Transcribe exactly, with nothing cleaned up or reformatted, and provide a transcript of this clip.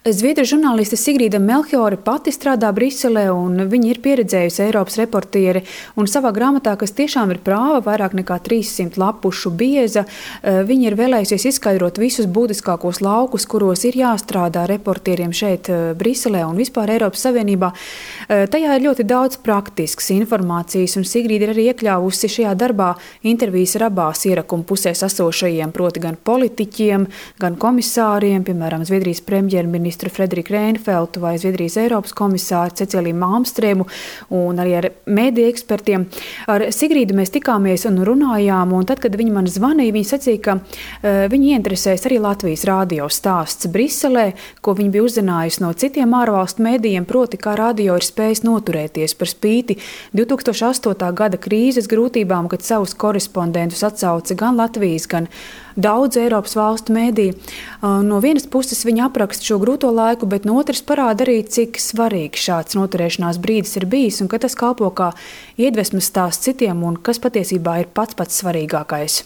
Zviedru žurnāliste Sigrīda Melchiore pati strādā Briselē, un viņa ir pieredzējusi Eiropas reportieri. Un savā grāmatā, kas tiešām ir prāva, vairāk nekā trīssimt lapušu bieza, viņa ir vēlējusies izskaidrot visus būtiskākos laukus, kuros ir jāstrādā reportieriem šeit Briselē un vispār Eiropas Savienībā. Tajā ir ļoti daudz praktiskas informācijas, un Sigrīda ir arī iekļāvusi šajā darbā intervijas ar abās ierakuma pusēs esošajiem, proti gan politiķiem, gan komisāriem, piemēram, Zviedrijas premjerministru Frederiku Reinfeldtu vai Zviedrijas Eiropas komisāru Ceciliju Malmstrēmu un arī ar mēdīju ekspertiem. Ar Sigrīdu mēs tikāmies un runājām, un tad, kad viņa man zvanīja, viņa sacīja, ka uh, viņa ieinteresēs arī Latvijas radio stāsts Briselē, ko viņa bija uzzinājusi no citiem ārvalstu mēdījiem, proti, kā radio ir spējis noturēties par spīti divi tūkstoši astotā gada krīzes grūtībām, kad savus korespondentus atsauca gan Latvijas, gan daudz Eiropas valstu mēdīju. Uh, no vienas puses viņa apraksta šo grūto laiku, bet no otras parāda arī, cik svarīgs šāds noturēšanās brīdis ir bijis un ka tas kalpo kā iedvesmas stāsts citiem un kas patiesībā ir pats pats svarīgākais.